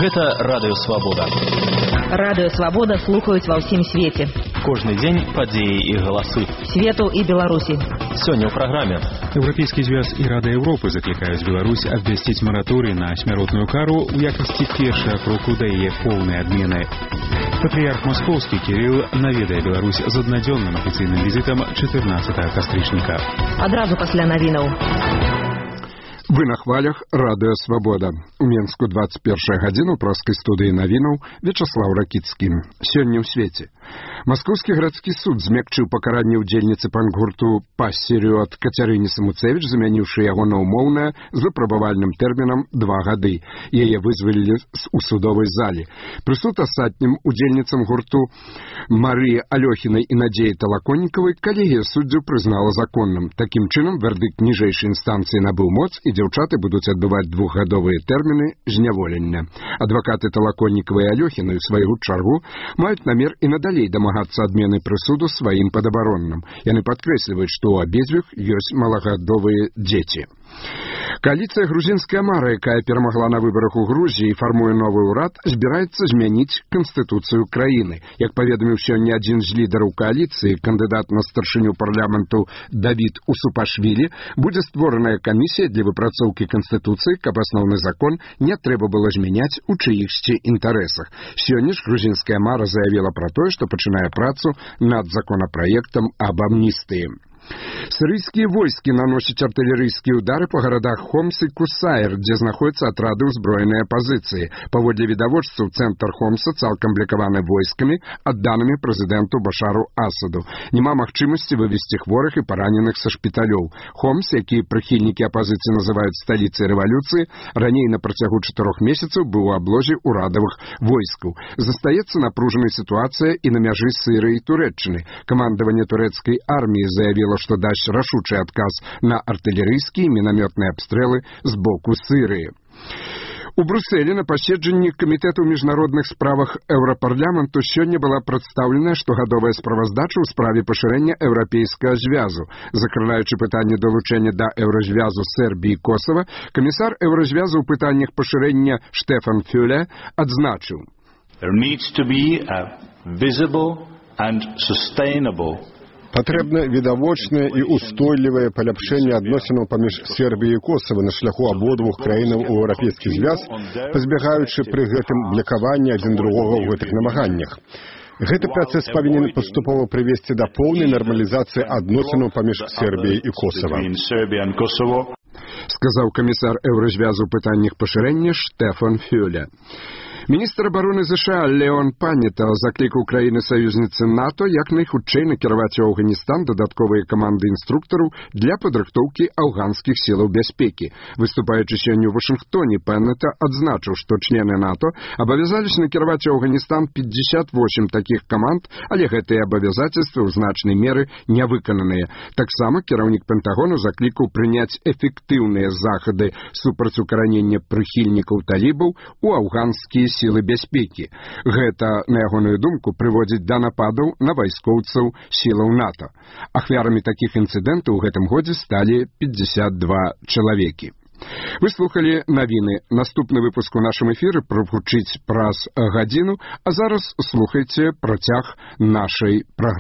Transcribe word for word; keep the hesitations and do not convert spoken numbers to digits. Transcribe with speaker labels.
Speaker 1: Гэта Радыё Свабода.
Speaker 2: Радыё Свабода слухаюць ва ўсім свеце.
Speaker 1: Кожны дзень падзеі і галасы.
Speaker 2: Свету і Беларусі.
Speaker 1: Сёння ў праграме.
Speaker 3: Еўрапейскі звяз і Рада Еўропы заклікаюць Беларусь абвясціць мараторый на смяротную кару ў якасці першага кроку да яе поўнай адмены. Патрыярх Маскоўскі Кірыл наведае Беларусь з аднадзённым афіцыйным візітам чатырнаццатага кастрычніка.
Speaker 2: Адразу пасля навінаў.
Speaker 4: Вы на хвалях Радыё Свабода. У Менску двадцать первая гадзіна ў праскай студыі навінаў Вячаслаў Ракіцкі. Сёння ў свеце. Маскоўскі гарадскі суд змякчыў пакаранне ўдзельніцы панк-гурту «Пассерыёт» Кацярыне Самуцевіч, замяніўшы яго на ўмоўнае з выпрабавальным тэрмінам два гады. Яе вызвалілі у судовай зале. Прысуд астатнім удзельніцам гурту Марыі Алёхінай і Надзеі Талаконнікавай калегія суддзяў прызнала законным. Такім чынам, вердыкт ніжэйшай інстанцыі набыў моц і дзяўчаты будуць адбываць двухгадовыя тэрміны зняволення. Адвакаты Талаконнікавай і Алёхінай у сваю чаргу маюць намер і надалей дамагацца адмены прысуду сваім падабаронным. Яны падкрэсліваюць, што ў абедзвюх ёсць малагадовыя дзеці. Коаліцыя «Грузінская мара», якая перамагла на выбарах у Грузіі і фармуе новы ўрад, збіраецца змяніць канстытуцыю краіны. Як паведаміў сёння адзін з лідараў коаліцыі, кандыдат на старшыню парламенту Давід Усупашвілі, будзе створаная камісія для выпрацоўкі канстытуцыі, каб асноўны закон не трэба было змяняць у чыіхсьці інтарэсах. Сёння ж «Грузінская мара» заявіла пра тое, што пачынае працу над законапраектам аб амністыі. Сирийские войски наносят артиллерийские удары по городах Хомс и Кусаир, где знаходятся отрады узброенной оппозиции. Паводле відавочцаў, центр Хомса цалкам блокаваны войсками, адданымі прэзідэнту Башару Асаду. Нема магчымасці вывезти хворых и пораненых со шпіталёў. Хомс, які прыхільнікі апозіцыі называют столицей революции, раней на працягу чатырох месяцаў быў у аблозе урадавых войскаў. Застаецца напружанай ситуация и на мяжы Сирии и Турэччыны. Командование турецкой армии заявило, что дасць рашучы адказ на артылерыйскія і мінамётныя абстрэлы з боку Сырыі. У Брюсселі на паседжанні Камітэту ў міжнародных справах Еўрапарламенту сёння была прадстаўленая штогадовая справаздача ў справе пашырэння еўрапейскага звязу. Закрываючы пытанне далучэння да еўразвязу Сербіі і Косава, камісар еўразвязу ў пытаннях пашырэння Штефан Фюле адзначыў:
Speaker 5: There needs to be a visible and sustainable
Speaker 6: Патрэбна відавочнае і устойлівае паляпшэнне адносінаў паміж Сербіяй і Косава на шляху абодвух краінаў у еўрапейскі звяз, пазбягаючы пры гэтым блакавання адзін другога ў гэтых намаганнях. Гэты працэс павінен паступова прывесці да поўнай нармалізацыі адносінаў паміж Сербіяй і Косава,
Speaker 4: сказаў камісар еўразвязу ў пытаннях пашырэння Штефан Фюле. Міністр обороны США Леон Панета заклікаў краіны-саюзніцы НАТО як найхутчэй накіраваць у Афганістан дадатковыя каманды інструктараў для падрыхтоўкі афганскіх сілаў бяспекі. Выступаючы сёння ў Вашынгтоне, Панета адзначыў, што члены НАТО абавязались накіраваць у Афганістан пятьдесят восемь такіх каманд, але гэтыя абавязацельствы ў значнай меры не выкананыя. Таксама кіраўнік Пентагону заклікаў прыняць эфектыўныя захады супраць укаранення прыхільнікаў талібаў у афганскія сілы бяспекі. Гэта, на ягоную думку, прыводзіць да нападаў на вайскоўцаў сілаў НАТО. Ахвярамі такіх інцыдэнтаў у гэтым годзе сталі пятьдесят два чалавекі. Вы слухалі навіны. Наступны выпуск у нашым эфіры прагучыць праз гадзіну, а зараз слухайце працяг нашай праграмы.